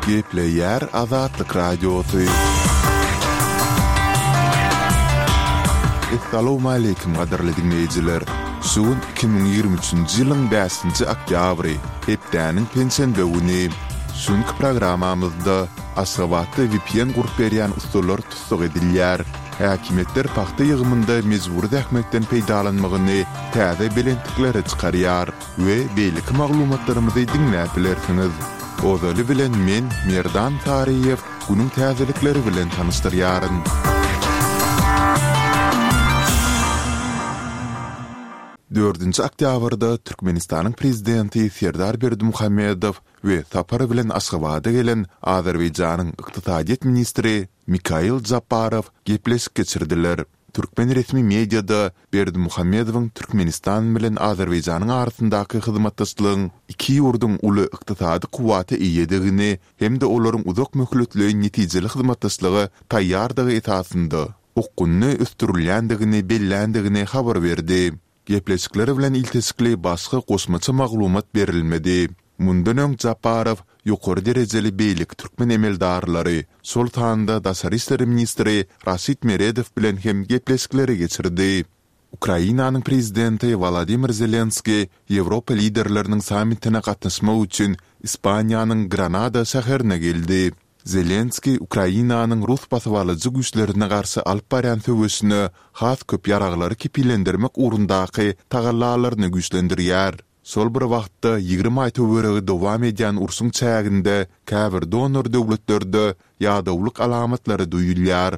Gepleýär Azatlyk Radiosy. Essalawmaleýkim gadyrly diňleýjiler! Şu gün 2023-nji ýylyň bäşinji oktýabry, hepdäniň penşenbe güni. Şu günki programmamyzda Aşgabatda vpn gurup berýän ussalar tussag edilýär. Häkimiýetler pagta ýygymynda mejbury zähmetden peýdalanmagyny täze belentliklere çykarýar we beýleki maglumatlarymyzy diňläp bilersiňiz. Ozaly bilen men, Merdan Saryýew, günüň täzelikleri bilen tanyşdyrýaryn. Dördünji oktýabrda Türkmenistanyň Prezidenti Serdar Berdimuhamedow we sapar bilen Aşgabada gelen Azerbaýjanyň ykdysadyýet ministri Mikail Jabbarow gepleşik geçirdiler. Türkmen resmi mediada Berdimuhamedowyň Türkmenistan bilen Azerbaýjanyň arasyndaky hyzmatdaşlygyň iki ýurduň uly ykdysady kuwwata eýedigini hem-de olaryň uzak möhletleýin netijeli hyzmatdaşlyga taýýardygy esasynda okgunly ösdürilýändigini belländigini habar berdi. Gepleşikler bilen ilteşikli başga goşmaça maglumat berilmedi. Mundan öň Japarow ýokary derejeli beýleki türkmen emeldarlary, şol sanda daşary işler ministri Raşid Meredow bilen hem gepleşikleri geçirdi. Ukrainanyň prezidenti Wolodymyr Zelenskiý Ýewropa liderleriniň sammitine gatnaşmak üçin Ispaniýanyň Granada şäherine geldi. Zelenskiý Ukrainanyň rus basybalyjy güýçlerine garşy alyp barýan söweşine has köp ýaraglary kepillendirmek ugrundaky tagallalaryny güýçlendirýär. Şol bir wagtda, 20 aý töweregi dowam edýän urşuň çäginde käbir donor döwletlerde ýadawlyk alamatlary duýulýar.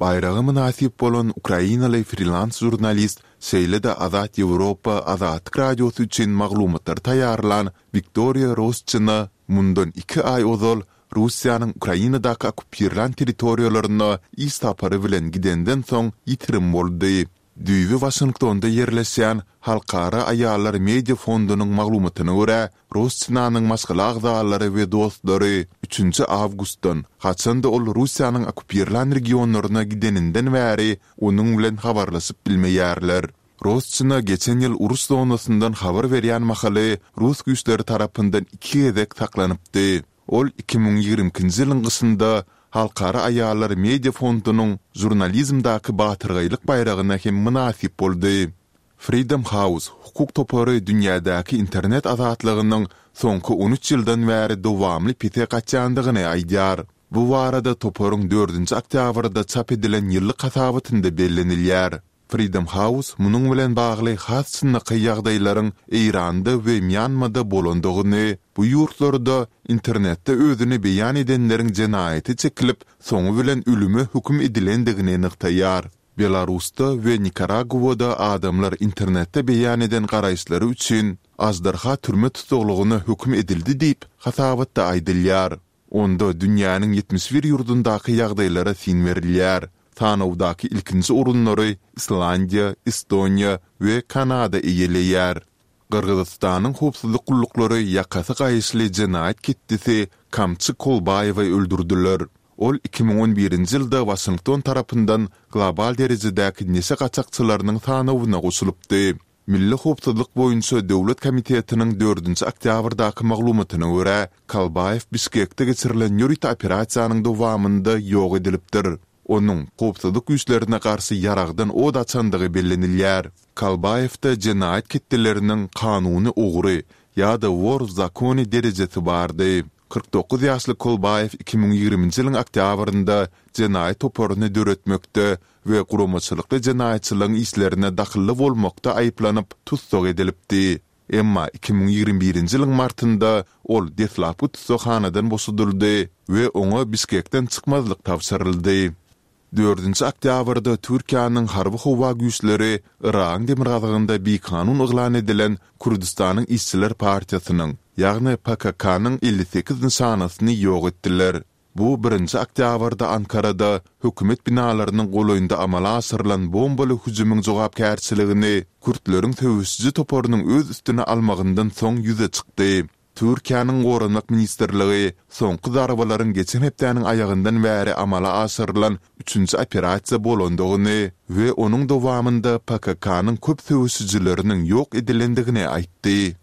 Baýraga mynasyp bolan ukrainaly frilans žurnalist, şeýle-de Azat Ýewropa Azatlyk Radiosy üçin maglumatlary taýýarlan Wiktoriýa Rosçina mundan iki aý ozal Russiýanyň Ukrainadaky okkupirlän territoriýalaryna iş sapary bilen gidenden soň ýitirim boldy. Düýbi Waşingtonda ýerleşýän Halkara aýallar media fondunyň maglumatyna görä, Rosçinanyň maşgala agzalary we dostlary üçünji awgustdan, haçan-da ol Russiýanyň okkupirlän regionlaryna gideninden bäri onuň bilen habarlaşyp bilmeýärler. Rosçina geçen ýyl uruş zonasyndan habar berýän mahaly rus güýçleri tarapyndan iki gezek saklanypdy. Ol 2022-nji ýylyň gyşynda Halkara aýallar media fondunyň žurnalizmdäki batyrgaýlyk baýragyna hem mynasyp boldy. Freedom House hukuk topary dünýädäki internet azatlygynyň soňky on üç ýyldan bäri dowamly pese gaçýandygyny aýdýar. Bu barada toparyň dördünji oktýabrda çap edilen ýyllyk hasabatynda bellenilýär. Freedom House munuň bilen bagly has çynlakaý ýagdaýlaryň Eýranda we Mýanmada bolandygyny, bu ýurtlarda internetde özüni beýan edenleriň jenaýata çekilip, soňy bilen ölüme höküm edilendigini nygtaýar. Belarusda we Nikaraguada adamlar internetde beýan eden garaýyşlary üçin aždarha türme tussaglygyna höküm edildi diýip, hasabatda aýdylýar. Onda dünýäniň 71 ýurdundaky ýagdaýlara syn berilýär. Sanawdaky ilkinji orunlary Islandiýa, Estoniýa we Kanada eýeleýär. Gyrgyzystanyň howpsuzlyk gulluklary ýakasy gaýyşly jenaýat ketdisi Kamçy Kolbaýewi öldürdiler. Ol 2011-nji ýylda Waşington tarapyndan global derejedäki neşe gaçakçylarynyň sanawyna goşulypdy. Milli howpsuzlyk boýunça döwlet komitetiniň dördünji oktýabrdaky maglumatyna görä, Kalbaýew Bişkekde geçirilen ýörite operasiýanyň dowamynda ýok edilipdir. Onuň howpsuzlyk güýçlerine garşy ýaragdan od açandygy bellenilýär. Kalbaýewde jenaýat ketdeleriniň kanuny ogry ýa-da wor w zakone derejesi bardy. 49 ýaşly Kolbaýew 2020-nji ýylyň oktýabrynda jenaýat toparyny döretmekde we guramaçylykly jenaýatçylygyň işlerine dahylly bolmakda aýyplanyp, tussag edilipdi. Emma 2021-nji ýylyň martynda ol deslapky tussaghanadan boşadyldy we oňa Bişkekden çykmazlyk tabşyryldy. Dördünji oktýabrda Türkiýäniň harby-howa güýçleri Yragyň demirgazygynda bikanun yglan edilen Kürdüstanyň işçiler partiýasynyň, ýagny PKK-nyň 58 nyşanasyny ýok etdiler. Bu birinji oktýabrda Ankarada hökümet binalarynyň golaýynda amala aşyrylan bombaly hüjümiň jogapkärçiligini kürtleriň söweşiji toparynyň öz üstüne almagyndan soň ýüze çykdy. Türkiýäniň Goranmak ministrligi soňky zarbalaryň geçen hepdäniň aýagyndan bäri amala aşyrylan üçünji operasiýa bolandygyny we onuň dowamynda PKK-nyň köp söweşijileriniň ýok edilendigini aýtdy.